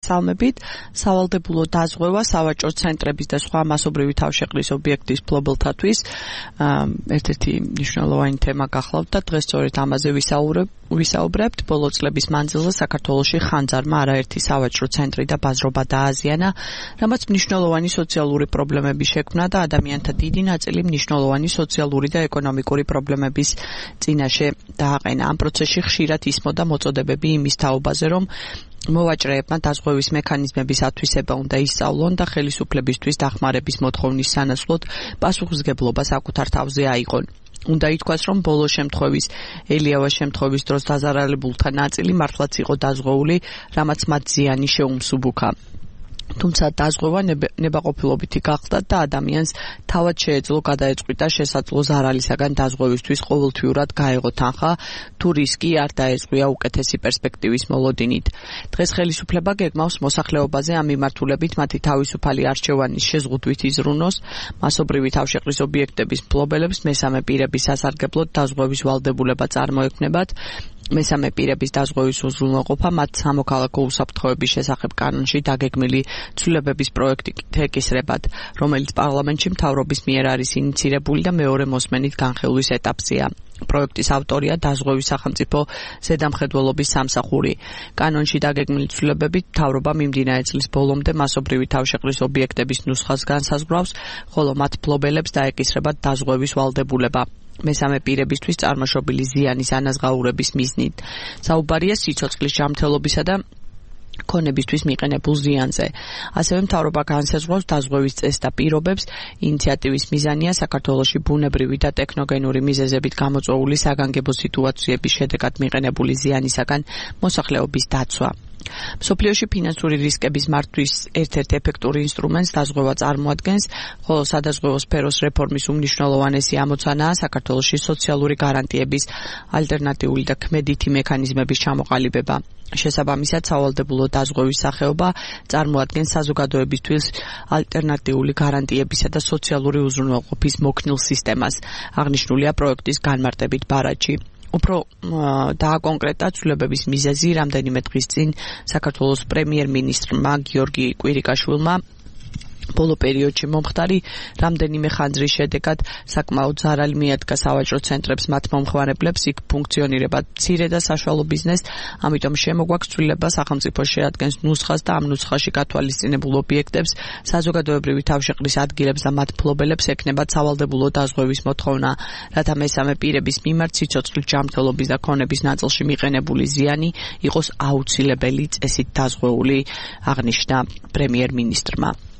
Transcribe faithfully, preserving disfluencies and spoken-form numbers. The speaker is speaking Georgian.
სალმებით სავალდებულო დაზღვევა სავაჭრო ცენტრების და სხვა მასობრივი თავშეყრის ობიექტის მფლობელთათვის ერთ-ერთი მნიშვნელოვანი თემა გახლავთ და დღეს სწორედ ამაზე ვისაუბრებთ. ბოლო წლების მანძილზე საქართველოში ხანძარმა არაერთი სავაჭრო ცენტრი და ბაზრობა დააზიანა, რამაც მნიშვნელოვანი სოციალური პრობლემები შექმნა და ადამიანთა დიდი ნაწილი მნიშვნელოვანი სოციალური და ეკონომიკური პრობლემების წინაშე დააყენა. ამ პროცესში ხშირად ისმოდა მოწოდებები იმის თაობაზე, რომ მოვაჭრეებმა დაზღვევის მექანიზმების ათვისება უნდა ისწავლონ და ხელისუფლებისთვის დახმარების მოთხოვნის სანაცვლოდ პასუხისმგებლობა საკუთარ თავზე აიღონ. უნდა ითქვას, რომ ბოლო შემთხვევის ელიავას შემთხვევის დროს დაზარალებულთა ნაწილი მართლაც იყო დაზღვეული, რამაც მათ ზიანი შეუმსუბუქა. თუმცა დაზღვევა ნებაყოფილობითი გახდა და ადამიანს თავად შეეძლო გადაეწყვიტა შესაძლო ზარალისაგან დაზღვევისთვის ყოველთვიურად გაეღო თანხა, თუ რისკი არ დაეწყვია უკეთესი პერსპექტივის მოლოდინით. დღეს ხელისუფლება გეგმავს მოსახლეობაზე ამ მიმართულებით მათი თავისუფალი არჩევანის შეზღუდვით იზრუნოს მასობრივი თავშეყრის ობიექტების მფლობელებს მესამე პირების სასარგებლოდ დაზღვევის ვალდებულება წარმოექმნებათ. მესამე პირების დაზღვევის უზრუნველყოფა მათ სამოქალაქო უსაფრთხოების შესახებ კანონში დაგეგმილი ცვლილებების პროექტით ეკისრებათ, რომელიც პარლამენტში მთავრობის მიერ არის ინიცირებული და მეორე მოსმენით განხილვის ეტაპზეა. პროექტის ავტორია დაზღვევის სახელმწიფო ზედამხედველობის სამსახური. კანონში დაგეგმილი ცვლილებებით მთავრობა მიმდინარე წლის ბოლომდე მასობრივი თავშეყრის ობიექტების ნუსხას განსაზღვრავს, ხოლო მათ მფლობელებს დაეკისრებათ დაზღვევის ვალდებულება. მესამე პირებისთვის წარმოშობილი ზიანის ანაზღაურების მიზნით. საუბარია სიცოცხლის ჯანმრთელობისა და ქონებისთვის მიყენებულ ზიანზე. ასევე მთავრობა განსაზღვრავს დაზღვევის წესს და პირობებს. ინიციატივის მიზანია საქართველოში ბუნებრივი და ტექნოგენური მიზეზებით გამოწვეული საგანგებო სიტუაციების შედეგად მიყენებული ზიანისაგან მოსახლეობის დაცვა. მსოფლიოში ფინანსური რისკების მართვის ერთ-ერთ ეფექტური ინსტრუმენტს დაზღვევა წარმოადგენს, ხოლო სადაზღვევო სფეროს რეფორმის უმნიშვნელოვანესი ამოცანაა საქართველოში სოციალური გარანტიების ალტერნატიული და ქმედითი მექანიზმების ჩამოყალიბება. შესაბამისად, სავალდებულო დაზღვევის სახეობა წარმოადგენს საზოგადოებისთვის ალტერნატიული გარანტიებისა და სოციალური უზრუნველყოფის მოქნილ სისტემას. აღნიშნულია პროექტის განმარტებით ბარათში. უფრო დააკონკრეტა ცვლილებების მიზეზი რამდენიმე დღის წინ საქართველოს პრემიერ-მინისტრმა გიორგი კვირიკაშვილმა ბოლო პერიოდში მომხდარი რამდენიმე ხანძრის შედეგად საკმაოდ ზარალი მიადგა სავაჭრო ცენტრებს მათ მომხმარებლებს, იქ ფუნქციონირება მცირე და საშუალო ბიზნესს, ამიტომ შემოგვაქვს ცვლილება სახელმწიფო შეადგენს ნუსხას და ამ ნუსხაში გათვალისწინებულ ობიექტებს, საზოგადოებრივი თავშეყრის ადგილებს და მათ მფლობელებს ექნებათ სავალდებულო დაზღვევის მოთხოვნა, რათა მესამე პირების მიმართ სიცოცხლის ჯანმრთელობის და ქონების ნაწილში მიყენებული ზიანი იყოს აუცილებელი წესით დაზღვეული, აღნიშნა პრემიერ-მინისტრმა.